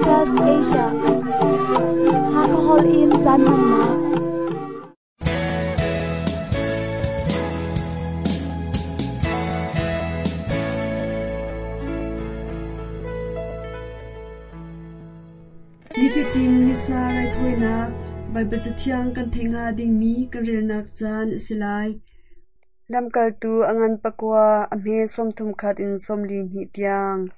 Adventist Asia. Hakha holh in caan hmannak. Nifatin Missa raithawinak Baibal Cathiang kan theih hnga dingmi kan relnak caan a si lai. Lamkaltu a ngan pakua, a hme 31 in 42 tiang.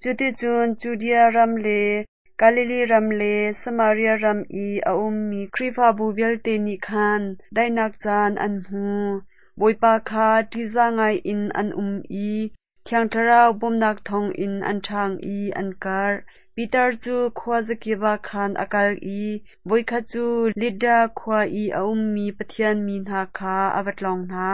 Cuticun Judea ram le Galilee ram le Samaria ram i a ummi Khrihfabu vialte nih khan daihnak caan an hmu. Bawipa kha ṭihzah ngaiin an um i Thiang Thlarau bawmhnak thawngin an ṭhang i an karh. Peter cu khuazakip ah khan a kal i voikhat cu Lidda khua i a ummi Pathian mi hna kha a va tlawng hna.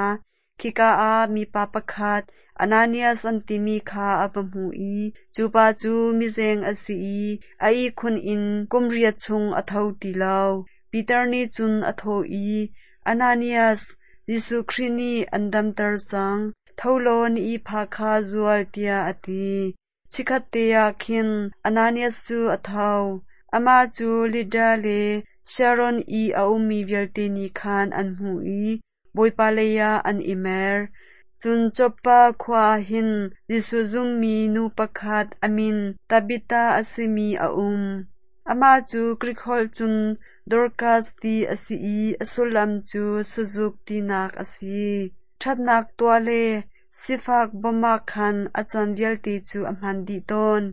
Khika ah mipa pakhat Ananias an timi kha a va hmuh i cu pa cu mizeng a si i a ihkhun in kum riat chung a tho ti lo. Peter nih cun a thawh i, Ananias, Jesuh Khrih nih an damter cang. Tho law na ihphah kha zual, tiah a ti. Chikkhatte ah khin Ananias cu a tho. Amah cu Lidda le Sharon i a ummi vialte nih khan an hmuh i Bawipa leiah an i mer. Cun Joppa khua ah hin Jesuh zummi nu pakhat a min Tabitha a simi a um. Amah cu Grik holh cun Dorkas ti a si i a sullam cu sazuk tinak a si. Ṭhatnak tuah le sifak bawmh ah khan a caan vialte cu a hman dih tawn.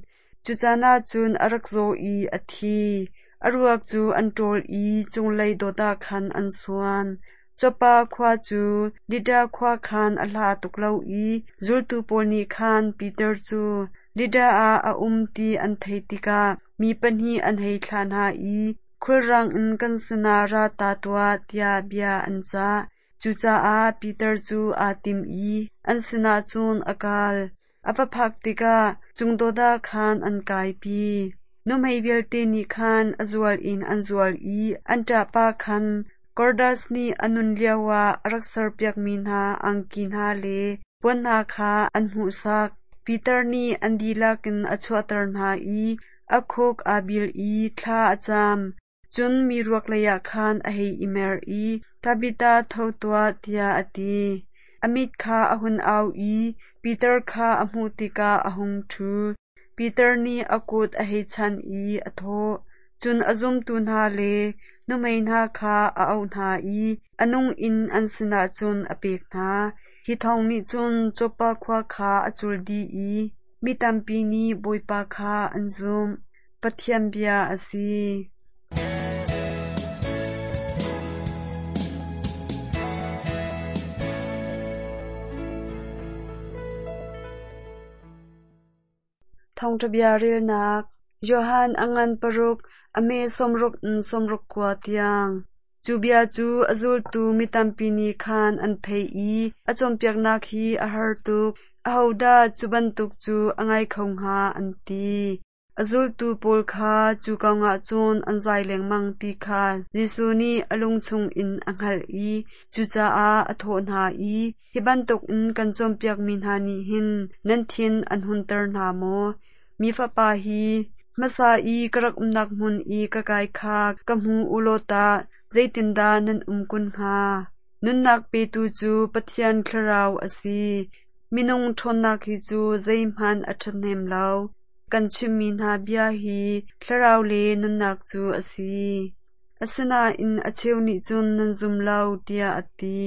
Cu caan ah cun a rak zaw i a thi. A ruak cu an ṭawl i cunglei dot ah khan an suan. Joppa khua cu Lidda khua khan a hla tuk lo i zultu pawl nih khan Peter cu Lidda ah a um ti an theih tikah mi pahnih an hei thlah hna i khulrang in kan sinah ra ta tuah tiah bia an cah. Cucaah Peter cu aa tim i an sinah cun a kal. A va phak tikah cungdot ah khan an kaipi. Nuhmei vialte nih khan a zual in an zual i an ṭahpa khan Kordas nih a nun lioah a rak serpiakmi hna angki hna le puan hna kha an hmuhsak. Peter nih an dihlak in a chuahter hna i a khuk aa bil i thla a cam. Cun mi ruak leiah khan a hei i mer i, Tabitha, tho tuah, tiah a ti. A mit kha a hun au i Peter kha a hmuh tikah a hung ṭhu. Peter nih a kut a hei chanh i a thawh. Cun a zumtu hna le nuhmei hna kha a auh hna i a nung in an sinah cun a pek hna. Hi thawng nih cun Joppa khua kha a cul dih i mi tampi nih Bawipa kha an zumh. Pathian bia a si. Thawngṭha bia relnak Johan a ngan paruk, a me 60 in 69 tiang. Cu bia cu a zultu mi tampi nih khan an theih i a cawnpiaknak hi a har tuk, ahodah cu bantuk cu a ngai kho hnga, an ti. A zultu pawl kha cu kongah cun an zai lengmang ti kha Jesuh nih a lung chungin a hngalh i cucaah a thawh hna i, Hi bantukin kan cawnpiakmi hna nih hin nan thin an hunter hna maw? Mi Fapa hi hmasa i ka rak umnak hmun i ka kai kha ka hmu u law tah zeitindah nan um kun hnga? Nunnak petu cu Pathian Thlarau a si. Minung ṭhawnnak hi cu zeihmanh a ṭhahnem lo. Kan chimmi hna bia hi thlarau le nunnak cu a si. Asinain a cheu nih cun nan zum lo, tiah a ti.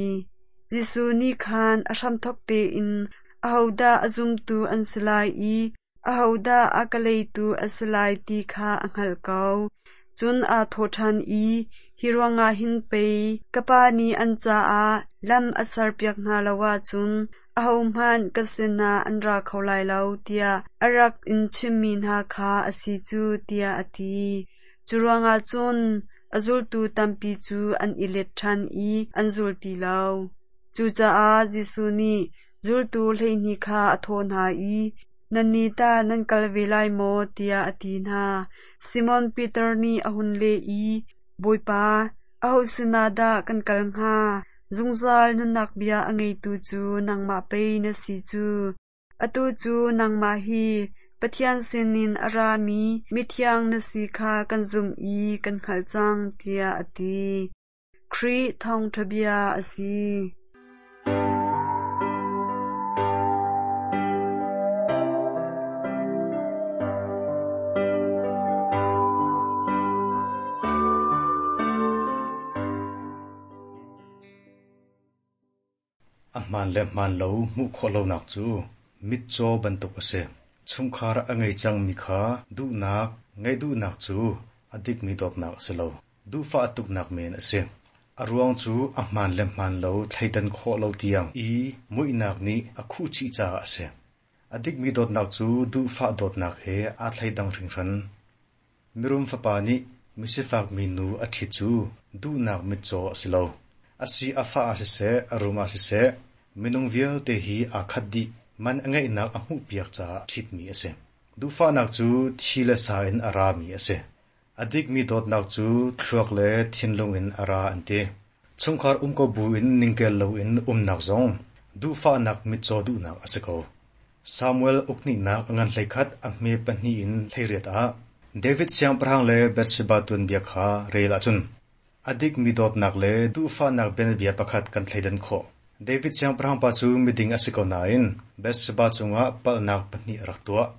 Jesuh nih khan a hramthawk tein ahodah a zumtu an si lai i ahodah a ka leitu a si lai ti kha a hngalh ko. Cun aa thawh ṭhan i, Hi ruangah hin pei ka Pa nih an caah lam a serpiak hna lo ahcun ahohmanh ka sinah an ra kho lai lo, tiah a rak in chimmi hna kha a si cu, tiah a ti. Cu ruangah cun a zultu tampi cu an i let ṭhan i an zul ti lo. Cucaah Jesuh nih zultu 12 kha a thawh hna i, Nannih tah nan kal ve lai maw? tiah a ti hna. Simon Peter nih a hun leh i, Bawipa, aho sinah dah kan kal hnga? Zungzal nunnak bia a ngeitu cu nangmah pei na si cu. Atu cu nangmah hi Pathian sinin a rami mithiang na si kha kan zumh i kan hngalh cang, tiah a ti. Khrih thawngṭha bia a si. A hmaan le hmaan lo hmuh khawh lonak cu mitcaw bantuk a si. Chungkhar a ngei cangmi kha duhnak ngeih duhnak cu a dikmi dawtnak a si lo. Duhfah tuknak men a si. A ruang cu a hmaan le hmaan lo thleidan khawh lo tiang i muihnak nih a khuhchih caah a si. A dikmi dawtnak cu duhfah dawtnak he aa thleidang hringhran. Mirum fapa nih misifak minu a ṭhit cu duhnak mitcaw a si lo. A si a fah ah siseh, a rum ah siseh, minung vialte hi aa khat dih, man a ngeihnak a hmuhpiak caah ṭhitmi a si. Duhfahnak cu thi le sa in a rami a si. A dikmi dawtnak cu thluak le thinlung in a ra an ti. Chungkhar um ko buin ningkel loin umnak zong duhfahnak mitcaw duhnak a si ko. Samuel ukhnihnak a ngan 11 a hme pahnih in 18 ah David siangpahrang le Bathsheba tuanbia kha rel ahcun a dikmi dawtnak le duhfahnak bianabia pakhat kan thleidan khawh. David siangpahrang pa cu miding a si ko nain Bathsheba cungah palhnak pahnih a rak tuah.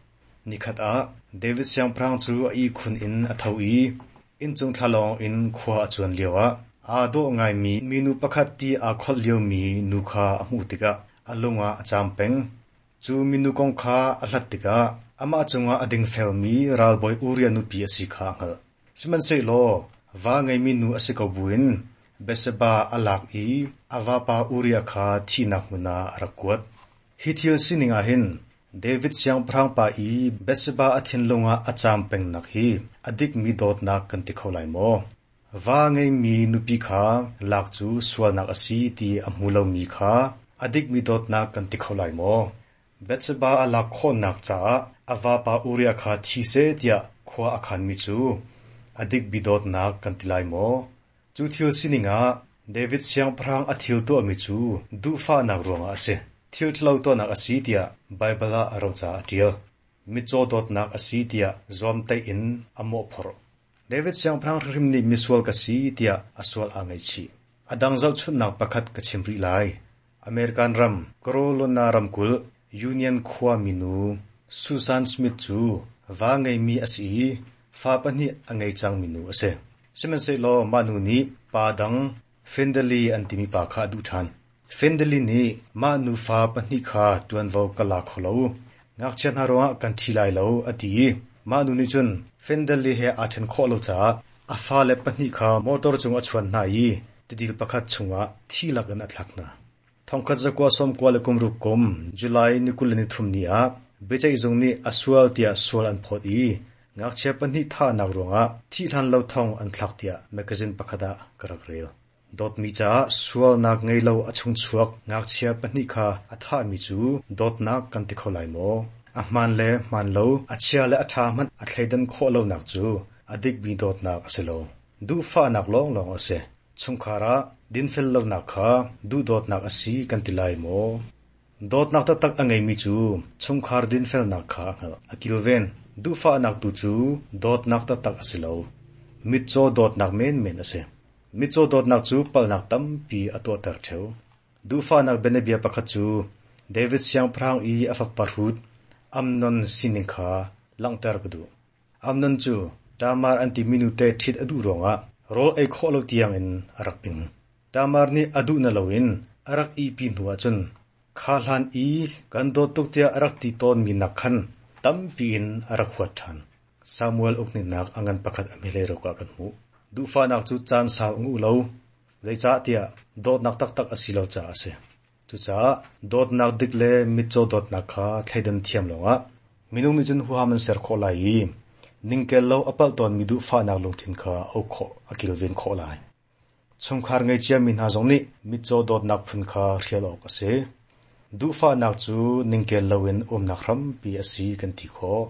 Nikhat ah David siangpahrang cu a ihkhun in a tho i inncung thlalawng in khua a cuan lioah aa dawh ngaimi minu pakhat ti aa kholh liomi nu kha a hmuh tikah a lung ah a caam peng. Cu minu kong kha a hlat tikah amah cungah a dingfelmi ralbawi Uriah nupi a si kha a hngalh. Sihmanhsehlaw va ngeimi nu a si ko buin Bathsheba a lak i a vapa Uriah kha thihnak hmun ah a rak kuat. Hi thil sining ah hin David siangpahrang pa i Bathsheba a thinlung ah a caam pengnak hi a dikmi dawtnak kan ti kho lai maw? Va ngeimi nupi kha lak cu sualnak a si ti a hmu lomi kha a dikmi dawtnak kan ti kho lai maw? Bathsheba a lak khawhnak caah a vapa Uriah kha thi seh tiah khua a khanmi cu a dikmi dawtnak kan ti lai maw? Cu thil sining ah David siangpahrang a thil tuahmi cu duhfahnak ruangah a si, thil ṭhalo tuahnak a si tiah Baibal ah roca a ṭial. Mitcaw dawtnak a si tiah zuamtaih in a mawhphorh. David siangpahrang hrimhrim nih misual ka si tiah a sual aa ngaihchih. A dang zohchunhnak pakhat ka chim rih lai. American ram, Carolina ramkulh, Union khua minu Susan Smith cu va ngeimi a si i fa pahnih a ngei cangmi nu a si. Sihmanhsehlaw mah nu nih pa dang Fendali an timi pa kha a duh ṭhan. Fendali nih mah nufa pahnih kha ṭuanvo ka la kho lo, ngakchia hna ruangah kan ṭhi lai lo a ti i mah nu nih cun Fendali he aa ṭhen khawh lo caah a fale pahnih kha motor cung a chuan hna i tidil pakhat chungah thi lakin a thlak hna. Thongkhat zakua sawmkua le kum ruk kum July ni 23 ni ah biaceihzung nih a sual tiah sual an phawt i ngakchia pahnih thahnak ruangah thih hlan lo thong an thlak tiah mekazin pakhat ah ka rak rel. Dawtmi caah sualnak ngei lo a chungchuak ngakchia pahnih kha a thahmi cu dawtnak kan ti kho lai maw? A hmaan le hmaan lo, a chia le a ṭha hmanh a thleidan khawh lonak cu a dikmi dawtnak a si lo. Duhfahnak lawnglawng a si. Chungkhar ah dinfel lonak kha duhdawtnak a si kan ti lai maw? Dawtnak taktak a ngeimi cu chungkhar dinfelnak kha a hngalh, a kilven. Duhfahnak tu cu dawtnak taktak a si lo. Mitcaw dawtnak menmen a si. Mitcaw dawtnak cu palhnak tampi a tuahter ṭheo. Duhfahnak bianabia pakhat cu David siangpahrang i a fapa hrut Amnon sining kha langhter ka duh. Amnon cu Tamar an timi nute ṭhit a duh ruangah rawl ei khawh lo tiangin a rak ing. Tamar nih a duh na loin a rak ihpi hnu ahcun kha hlan i kan dawt tuk tiah a rak ti tawnmi nak khan tampi in a rak huat ṭhan. Samuel uknihnak a ngan pakhat a hmehlei ruk ah kan hmuh. Duhfahnak cu caan sau a nguh lo, zeicahtiah dawtnak taktak a si lo caah a si. Cucaah dawtnak dik le mitcaw dawtnak kha thleidan thiam lawngah minung nih cun huham an ser khawh lai i ningkel lo a palh tawnmi duhfahnak lungthin kha a uk khawh, a kilven khawh lai. Chungkhar ngei ciami hna zong nih mitcaw dawtnak phun kha hrial awk a si. Duhfahnak cu ningkel loin umnak hrampi a si kan ti khawh.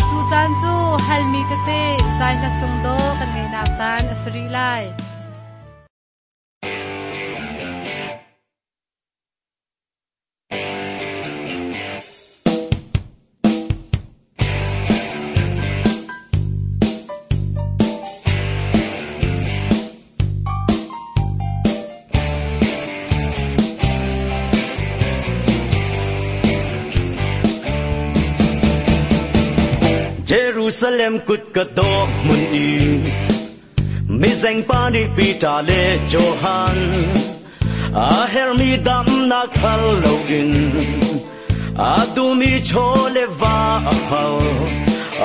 Tucaan cu hal relmi tete zai hla sung dawh kan ngaihnak caan a si rih lai. Jerusalem kut ka dawh hmun i mizeng pa nih Peter le Johan a hermi damnak hal loin a duhmi chaw le va a hal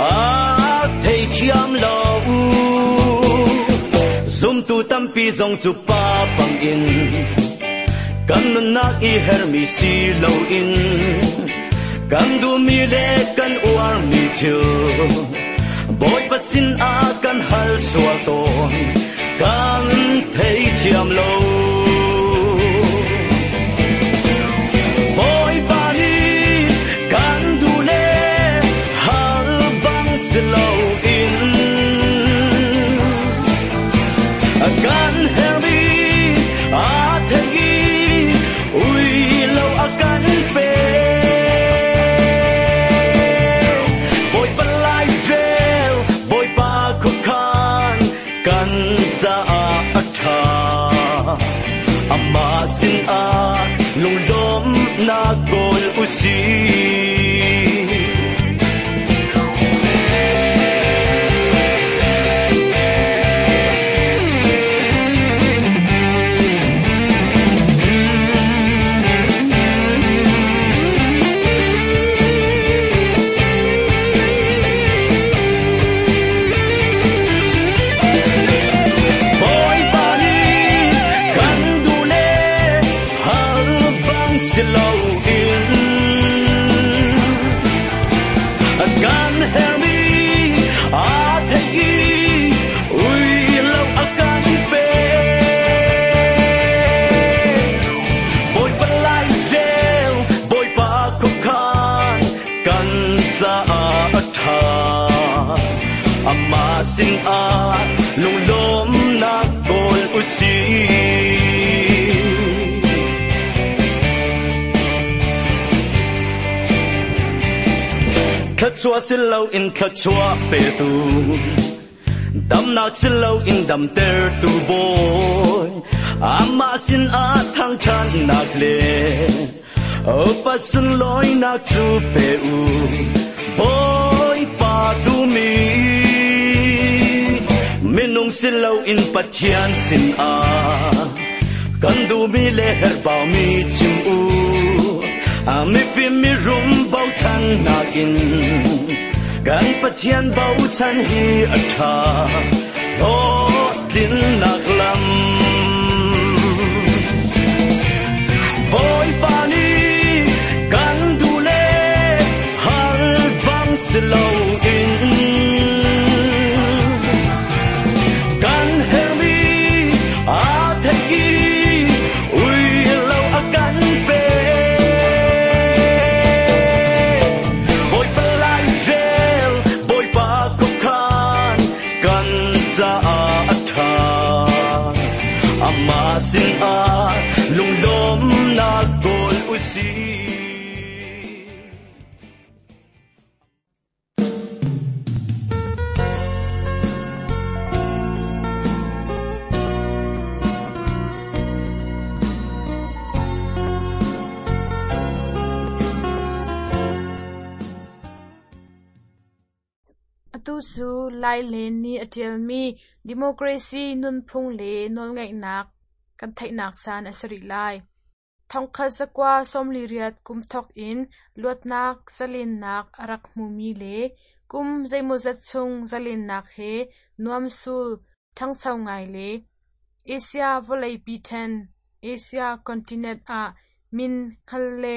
a theithiam lo. Zumtu tampi zong cu pa bangin kan nunnak i hermi si loin kan duhmi le kan uarmi thil Bawipa sin ah kan hal sual tawn kan theithiam lo. Bawipa nih kan duh le hal bang si loin kan hermi a thei i ui lo a kan pe. Bawipa lai rel Bawipa khuakhan kan caah a ṭha. Amah sin ah lunglawmhnak kawl u sih. Bawipa nih kan duh le hal bang si loin kan hermi a thei i ui lo a kan pe. Bawipa lai rel Bawipa khuakhan kan caah a ṭha. Amah sin ah lunglawmhnak kawl u sih. Thluachuah si loin thluachuah petu, damnak si loin damtertu Bawi, amah sin ah thangṭhatnak le upat sunlawinak cu pe u. Bawipa duhmi minung si loin Pathian sin ah kan duhmi le herhbaumi chim u. Mifim mirum bochannak in kan Pathian bochan hi a ṭha hlawhtlinnak lam. Bawipa nih kan duh le hal bang si loin kan hermi a thei i ui lo a kan pe. Bawipa lai rel Bawipa khuakhan kan caah a ṭha. Amah sin ah lunglawmhnak kawl u sih. Atu cu Lai Len nih a ṭialmi Democracy nunphung le nawlngeihnak kan theihnak caan a si rih lai. 1948 kum thawk in luatnak zalennak a rak hmumi le kum zeimawzat chung zalennak he nuamsul ṭhangcho ngai le Asia vawleipi ṭhen Asia continent ah min hngal le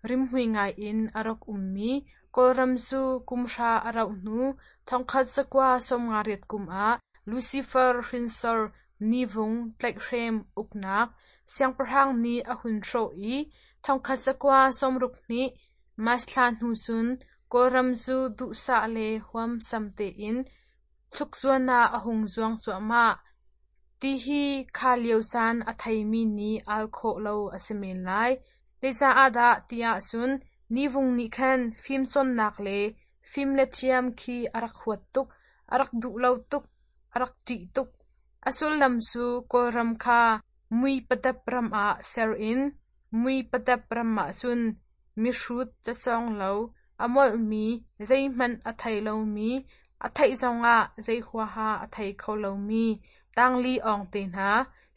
rimhmui ngai in a rak ummi Kawlram cu kum hra a rauh hnu 1958 kum ah Lucifer hrinsor Nivung tlaihhrem uknak siangpahrang nih a hun hrawh i 1962 March thla hnu cun Kawlram cu duhsah le huamsam tein chukzuan ah a hung zuang cuahmah. Ti hi kha lio caan a theimi nih al khawh lo a si men lai. Zeicaah dah ti ahcun Nivung nih khan fimcawnnak le fim le thiam khi a rak huat tuk, a rak duh lo tuk, a rak ṭih tuk. A sullam cu Kawlram kha mui padap ram ah ser in mui padap ram ahcun mihrut cacawng lo, a molhmi, zeihmanh a thei lomi, a theih zongah zei huaha a thei kho lomi, tangli awng te hna,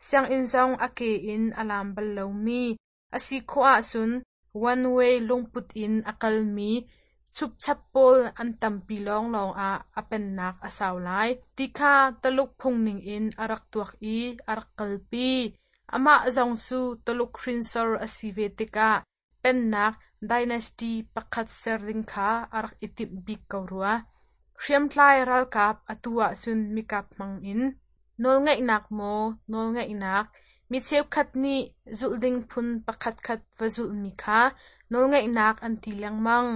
sianginn zong a ke in a lam bal lomi, a si khawh ahcun one way lungput in a kalmi chupchap pawl an tampi lawnglawng ah a pennak a sau lai ti kha Taluk phung ningin a rak tuak i a rak kalpi. Amah zong cu Taluk hrinsor a si ve tikah pennak dynasty pakhat ser ding kha a rak i timh bik ko rua. Hriamtlai ralkap atu ahcun mikap hmang in nawlngeihnak maw nawlngeihnak mi cheukhat nih zulh ding phun pakhatkhat va zulhmi kha nawlngeihnak an ti lengmang.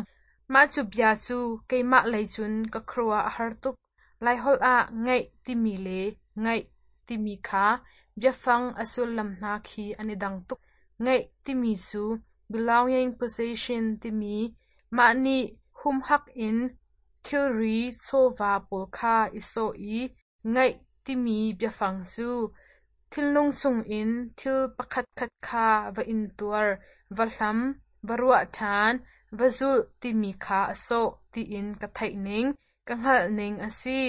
Mah cu bia cu keimah lei cun ka khuaruah a har tuk. Laiholh ah ngeih timi le ngaih timi kha biafang a sullam hna khi an i dang tuk. Ngeih timi cu belonging possession timi mah nih humhak in thilri chawva pawl kha i sawh i ngaih timi biafang cu thinlung chungin thil pakhatkhat kha va intuar, va hlam, va ruah ṭhan, va zulh timi kha a sawh tiin ka theih ning, ka hngalh ning a si.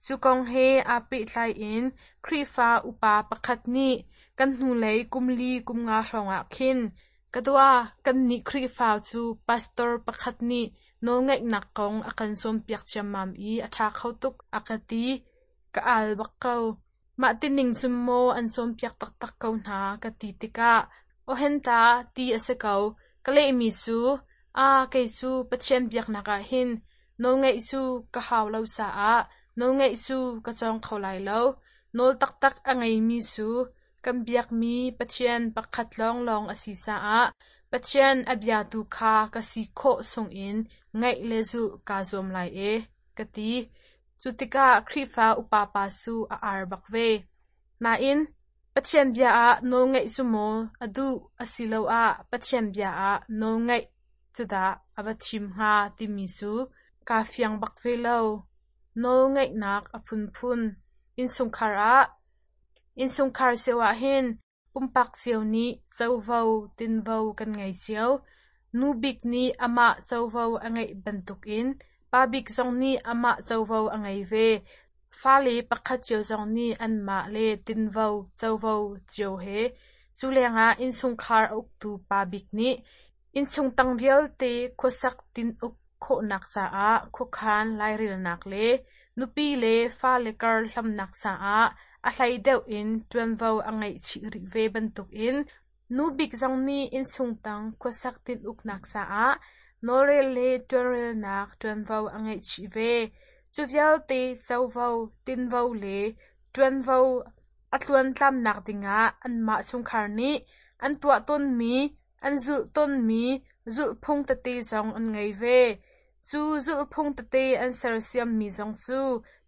Cu kong he aa pehtlai in Khrihfa upa pakhat nih kan hnulei kum li kum nga hrawngah khin ka dua kannih Khrihfa cu pastor pakhat nih nawlngaihnak kong a kan cawnpiak ciammam i a ṭha kho tuk a ka ti. Ka al bak ko. Mah tining cun maw an cawnpiak taktak ko hna ka ti tikah awhenta ti a si ko. Ka lehmi cu, aa kei cu Pathian biaknak ah hin nawlngaih cu ka hau lo caah nawlngaih cu ka cawng kho lai lo. Nawl taktak a ngeimi cu kan biakmi Pathian pakhat lawnglawng a si caah Pathian a biatu kha ka si khawh chungin ngaih le zulh kaa zuam lai e, ka ti. Cu tikah Khrihfa upa pa cu a ar bak ve. Nain, Pathian bia ah nawlngaih cu maw a duh asiloah Pathian bia ah nawlngaih cu dah a va thim hnga timi cu kaa fiang bak ve lo. Nawlngaihnak a phunphun. Innchungkhar ah Innchungkhar cio ahhin Pumpak cio nih covo tinvo kan ngei cio. Nu bik nih amah covo a ngeih bantukin pa bik zong nih amah covo a ngei ve. Fale pakhat cio zong nih anmah le tinvo covo cio he. Cu lengah innchungkhar a uktu pa bik nih innchung tang vialte khuasak tin-uk khawhnak caah khuakhan lairelnak le nupi le fale kar hlamnak caah a hlei deuh in ṭuanvo a ngeih chih rih ve bantukin nu bik zong nih innchung tang khuasak tin-uknak caah nawlrel le ṭuanrelnak ṭuanvo a ngeih chih ve. Cu vialte covo, tinvo le ṭuanvo a tluantlamnak dingah anmah chungkhar nih an tuah tawnmi An zulh tawnmi zulhphung tete zong an ngei ve. Cu zulhphung tete an sersiammi zong cu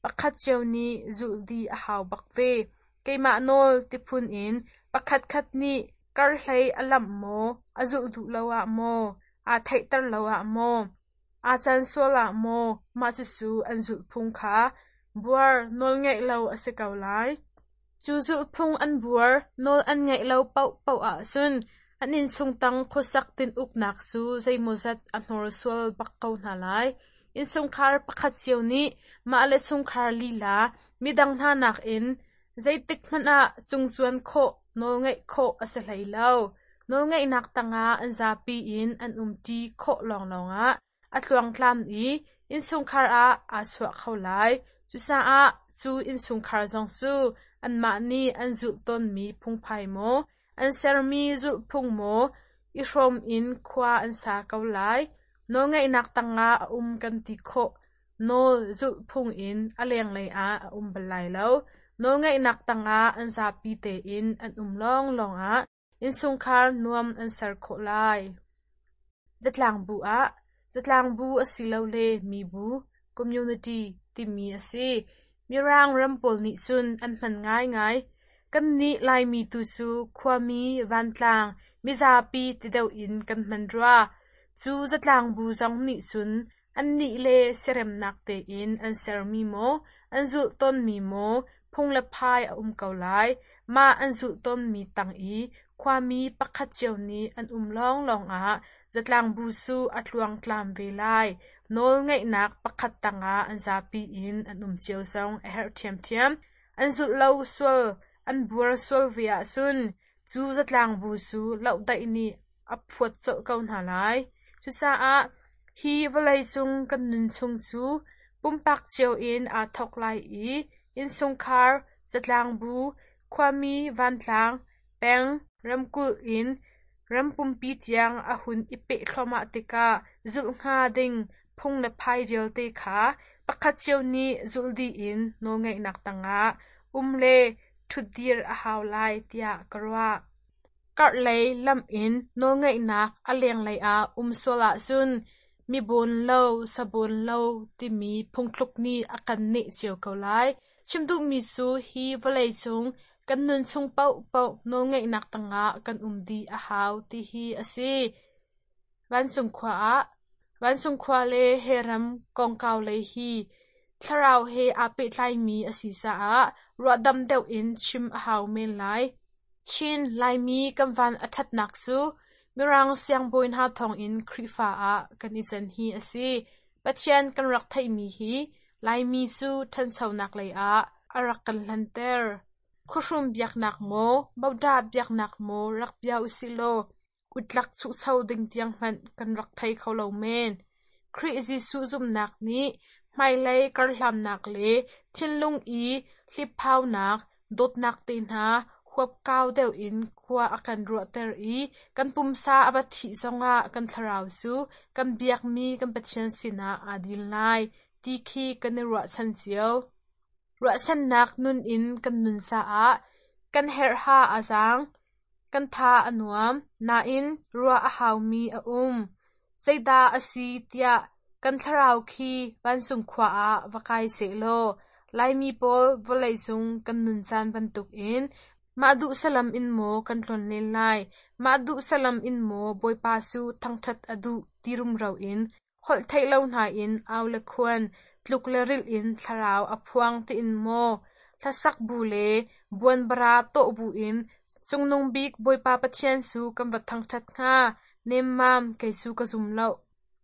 pakhat cio nih zulh dih a hau bak ve. Keimah nawl tiphun in pakhatkhat nih karhlei a lamh maw, a zulh duh lo ah maw, aa theihter lo ah maw, aa can sual ah maw mah cucu an zulhphung kha buar nawlngeih lo a si ko lai. Cu zulhphung an buar, nawl an ngeih lo paohpaoh ahcun an innchung tang khuasak tin-uknak cu zeimawzat a hnorsual bak ko hna lai. Innchungkhar pakhat cio nih mah le chungkhar lila midang hna nakin zeitik hmanh ah cungcuan khawh, nawlngeih khawh a si hlei lo. Nawlngeihnak tangah an zapi in an umṭi khawh lawnglawng ah a tluangtlam i innchungkhar ah aa chuah kho lai. Cucaah cu innchungkhar zong cu anmah nih an zulh tawnmi phungphai maw, an sermi zulhphung maw i hrawm in khua an sa ko lai. Nawlngeihnak tangah a um kan ti khawh. Nawl zulhphung in a lenglei ah a um bal lai lo. Nawlngeihnak tangah an zapi tein an um lawnglawng ah Innchungkhar nuam an ser khawh lai. Zatlangbu ah. Zatlangbu asilole mibu (community) timi a si. Mirang ram pawl nih cun an hman ngaingai. Kannih Laimi tu cu khuami, vantlang, mizapi ti deuh in kan hman rua. Cu zatlangbu zong nih cun annih le siaremnak tein an sermi maw, an zulh tawnmi maw phung le phai a um ko lai. Mah an zulh tawnmi tang i khuami pakhat cio nih an um lawnglawng ah zatlangbu cu a tluangtlam ve lai. Nawlngeihnak pakhat tangah an zapi in an um cio zong a herh ṭhiamṭhiam. An zulh lo sual, an buar sual ve ahcun cu zatlangbu cu lohdaih nih a phuat colh ko hna lai. Cucaah hi vawleicung kan nun chung cu pumpak cio in aa thawk lai i innchungkhar, zatlangbu, khuami vantlang, peng, ramkulh in ram pumpi tiang a hun i peh thluahmah tikah zulh hnga ding phung le phai vialte kha pakhat cio nih zulh dih in nawlngeihnak tangah um le ṭhutdir a hau lai tiah ka ruah. Karhlei lamh in nawlngeihnak a lenglei ah um sual ahcun mi bawn lo, sa bawn lo timi phungthluk nih a kan neh cio ko lai. Chim duhmi cu hi vawleicung kan nun chung paohpaoh nawlngeihnak tangah kan um dih a hau ti hi a si. Vancung khua ah Vancung khua le he ram kongkau lei hi thlarau he aa pehtlaimi a si caah ruahdam deuh in chim a hau men lai. Chin Laimi kan van a ṭhatnak cu Mirang siangbawi hna thawngin Khrihfa ah kan i can hi a si. Pathian kan rak theihmi hi Laimi cu ṭhanchonak lei ah a rak kan hlanter. Khuahrum biaknak maw, Bodah biaknak maw rak bia usih law utlak chuhcho ding tiang hmanh kan rak thei kho lo men. Khrih Jesuh zumhnak nih hmailei karhlamnak le thinlung i hliphaunak, dawtnak te hna huapkau deuh in khua a kan ruahter i kan pumsa a va thih zongah kan thlarau cu kan biakmi kan Pathian sinah aa dil lai ti khi kan i ruahchan cio. Ruahchannak nun in kan nun caah kan herhha a zaang, kan tha a nuam, nain ruah a haumi a um. Zeidah a si tiah kan thlarau khi vancung khua ah va kai sehlaw Laimi pawl vawleicung kan nun caan bantukin mah duh salam in maw kan tlonlen lai, mah duh salam in maw Bawipa cu thangṭhat a duh ti rumro in holh theih lo hna in au le khuan, tluk le rilh in thlarau a phuang tiin maw hlasak bu le buanbara tawh bu in Cungnung bik Bawipa Pathian cu kan va thangṭhat hnga, nemmam kei cu ka zum lo.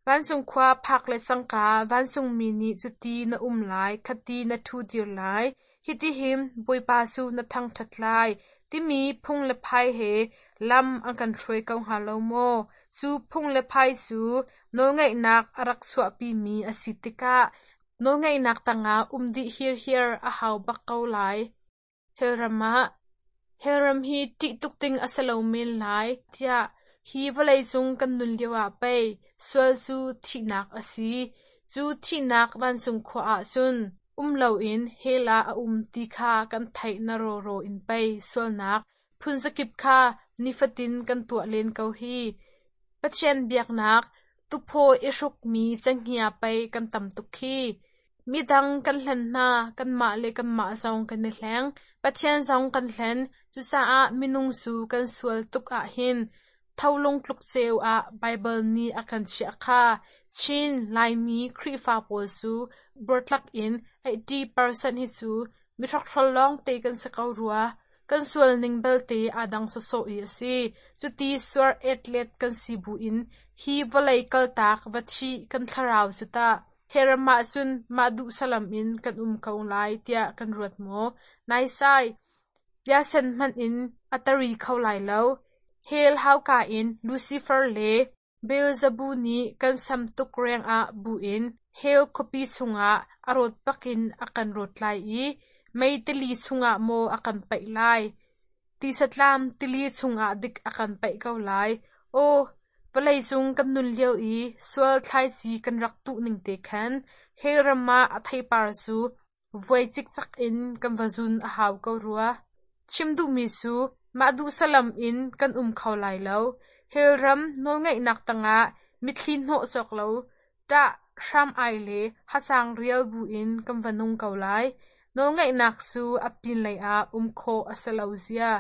Vancung khua phak le cangka vancungmi nih cuti na um lai, khati na ṭhu dir lai, hitihin Bawipa cu na thangṭhat lai, timi phung le phai he lam an kan hruai ko hnga lo maw? Cu phung le phai cu nawlngeihnak a rak chuahpimi a si tikah nawlngeihnak tangah um dih hirhiar a hau bak ko lai. Hellram ah Hellram hi ṭih tuk ding a si lo men lai tiah hi vawleicung kan nun lioah pei sual cu thihnak a si. Cu thihnak vancung khua ah cun um loin hell ah a um ti kha kan theih na rawraw in pei sualnak phunzakip kha nifatin kan tuah len ko hi. Pathian biaknak tuphaw i hrukmi cenghngia pei kan tam tuk khi. Midang kan hlen hna, kanmah le kanmah zong kan i hleng. Pathian zong kan hlen. Cucaah minung cu kan sual tuk ahhin tholung tluk ceu ah Baibal nih a kan chiah kha. Chin Laimi Khrihfa pawl cu buartlak in 80% hi cu mihrokhrawl lawngte kan si ko rua. Kan sual ning belte aa dang sawsawh i a si. Cuti suar etlet kan si buin hi vawlei kaltak va thih kan thlarau cu tah Hell-ram ah cun mah duh salam in kan um ko lai tiah kan ruat maw? Naisai! Piasen hmanh in a tari kho lai lo. Hell hauka in Lucifer le Beelzebub nih kan sam tuk rengah bu in hell khuapi chungah a rawt bakin a kan rawt lai i mei tili chungah maw a kan paih lai? Tisatlam tili chungah dik a kan paih ko lai. Aw, vawleicung kan nun lio i sual thlaici kan rak tuh ning te khan hell ram ah a theipar cu vuai cikcek in kan va zun a hau ko rua. Chim duhmi cu mah duh salam in kan um kho lai lo. Hell ram nawlngeihnak tangah mitthli hnawh cawk lo. Ṭah hram-ai le hacang rial buin kan va nung ko lai. Nawlngeihnak cu a pinlei ah um khawh a si lo zia.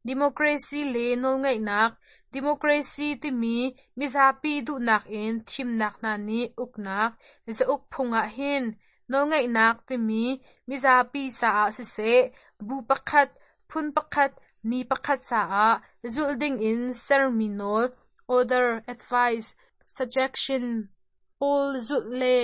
Democracy le nawlngeihnak. Democracy timi mizapi duhnak in thimnak hna nih uknak, zauk phung ahhin nawlngeihnak timi mizapi caah siseh, bu pakhat, phun pakhat, mi pakhat caah zulh dingin sermi nawl, order, advice, suggestion pawl zulh le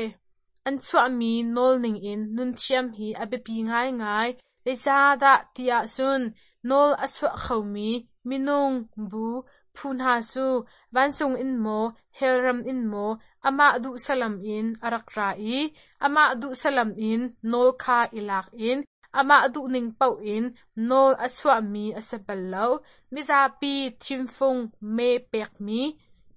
an chuahmi nawl ningin nun thiam hi a biapi ngaingai. Zeicahdah ti ahcun nawl a chuah khomi minung, bu, phu hna cu vancung in maw, hell ram in maw amah duh salam in a rak ra i amah duh salam in nawl kha i lak in amah duhning paoh in nawl a chuahmi a si bal lo. Mizapi thimfung mee pekmi,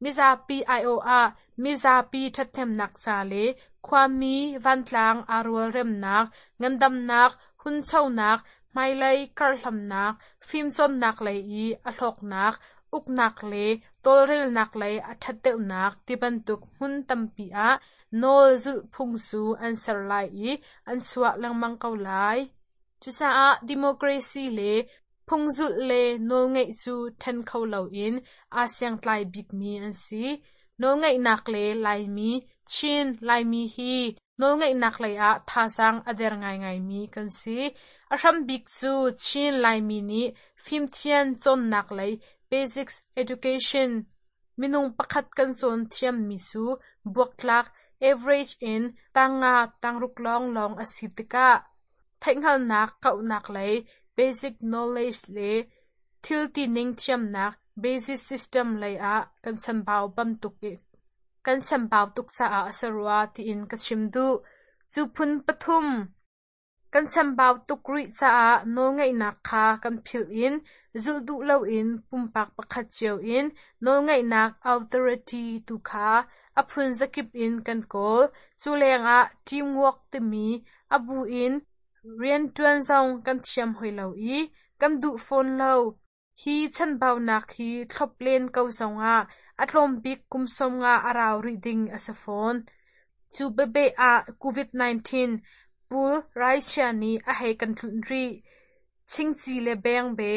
mizapi aiawh ah mizapi ṭhathnemnak ca le khuami vantlang aa rualremnak, ngandamnak, hunchonak, hmailei karhlamnak, fimcawnnak lei i a hlawknak, uknak le tawlrelnak lei a ṭhat deuhnak tibantuk hmun tampi ah nawl zulhphung cu an ser lai i an chuah lengmang ko lai. Cucaah democracy le phungzulh le nawlngeih cu ṭhen kho loin aa siangtlai bikmi an si. Nawlngeihnak le Laimi, Chin Laimi hi nawlngeihnak lei ah thazaang a der ngaingaimi kan si. A hrambik cu Chin Laimi nih fimthiam cawnnak lei basics education minung pakhat kan cawn thiammi cu buaktlak average in tangnga tangruk lawnglawng a si tikah theihhngalhnak kauhnak lei basic knowledge le thil tining thiamnak basic system lei ah kan chambau bantuk kan chambau tuk caah a si rua tiin ka chim duh. Cu phun pathum kan chambau tuk rih caah nawlngeihnak kha kan philh in zulh duh loin pumpak pakhat cio in nawlngeihnak authority tu kha a phun zakip in kan kawl. Cu lengah teamwork timi a bu in rianṭuan zong kan thiam hoi lo i kan duh fawn lo. Hi chanbaunak hi thlop len ko zongah a tlawm bik kum 50 a rau rih ding a si fawn. Cu bebe ah COVID-19 pul raichia nih a hei kan tlunh rih. Chingchi le bengbe,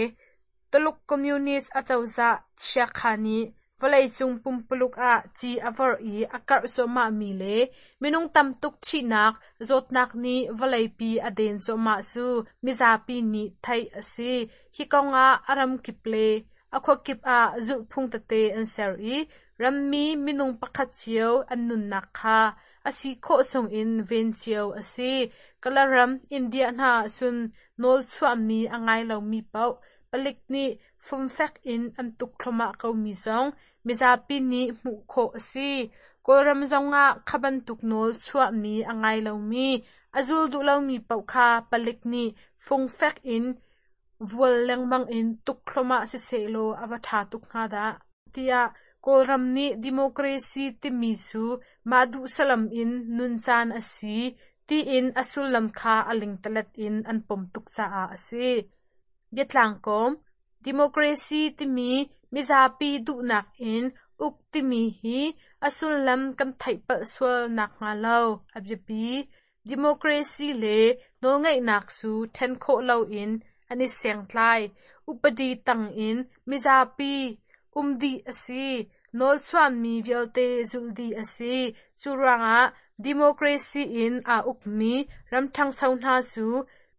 Tuluk Communist acozah chiakha nih vawleicung pumpuluk ah ci a vorh i a karh cuahmahmi le minung tam tuk thihnak zawtnak nih vawleipi a den cuahmah cu mizapi nih theih a si. Hi kongah a ramkip le a khuakip ah zulhphung tete an ser i rammi minung pakhat cio an nunnak kha a si khawh chungin ven cio a si. Kalaram, India hna ahcun nawl chuahmi a ngai lomi paoh palik nih fumfek in an tuk thluahmah komi zong mizapi nih hmuh khawh a si. Kawlram zongah kha bantuk nawl chuahmi a ngai lomi, a zul duh lomi paoh kha palik nih fungfek in vual lengmang in tuk thluahmah sisehlaw a va ṭha tuk hnga dah, tiah Kawlram nih democracy timi cu mah duh salam in nun caan a si tiin a sullam kha a lingtalet in an pom tuk caah a si. Biatlangkawm, Democracy timi mizapi duhnak in uk timi hi a sullam kan theih palh sual nakhnga lo a biapi. Democracy le nawlngeihnak cu ṭhen khawh loin an i sengtlai. Upadi tangin mizapi um dih a si. Nawlchuahmi vialte zulh dih a si. Cu ruangah democracy in aa ukmi ram ṭhangcho hna cu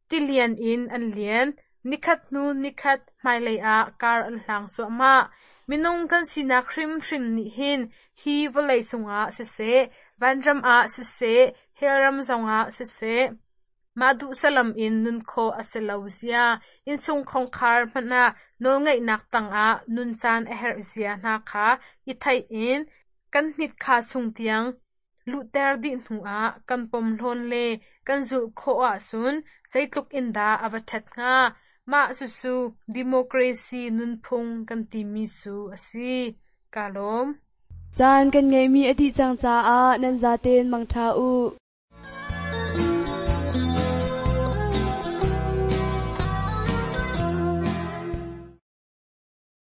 tilian in an lian. Nikhat hnu nikhat hmailei ah kar an hlang cuahmah. Minung kan sinak hrimhrim nih hin hi vawlei cungah siseh, vanram ah siseh, hellram zongah siseh, mah duh salam in nun khawh a si lo zia, innchung khongkhar hmanh ah nawlngeihnak tangah nun caan a herh zia hna kha i theih in kan hnitkha chung tiang luhter dih hnuah kan pomhlawn le kan zulh khawh ahcun zeitluk in dah a va ṭhat hnga. Mah cucu democracy nunphung kan timi cu a si. Kaa lawm. Caan kan ngeihmi a dih cang caah nan zaten mangṭha u.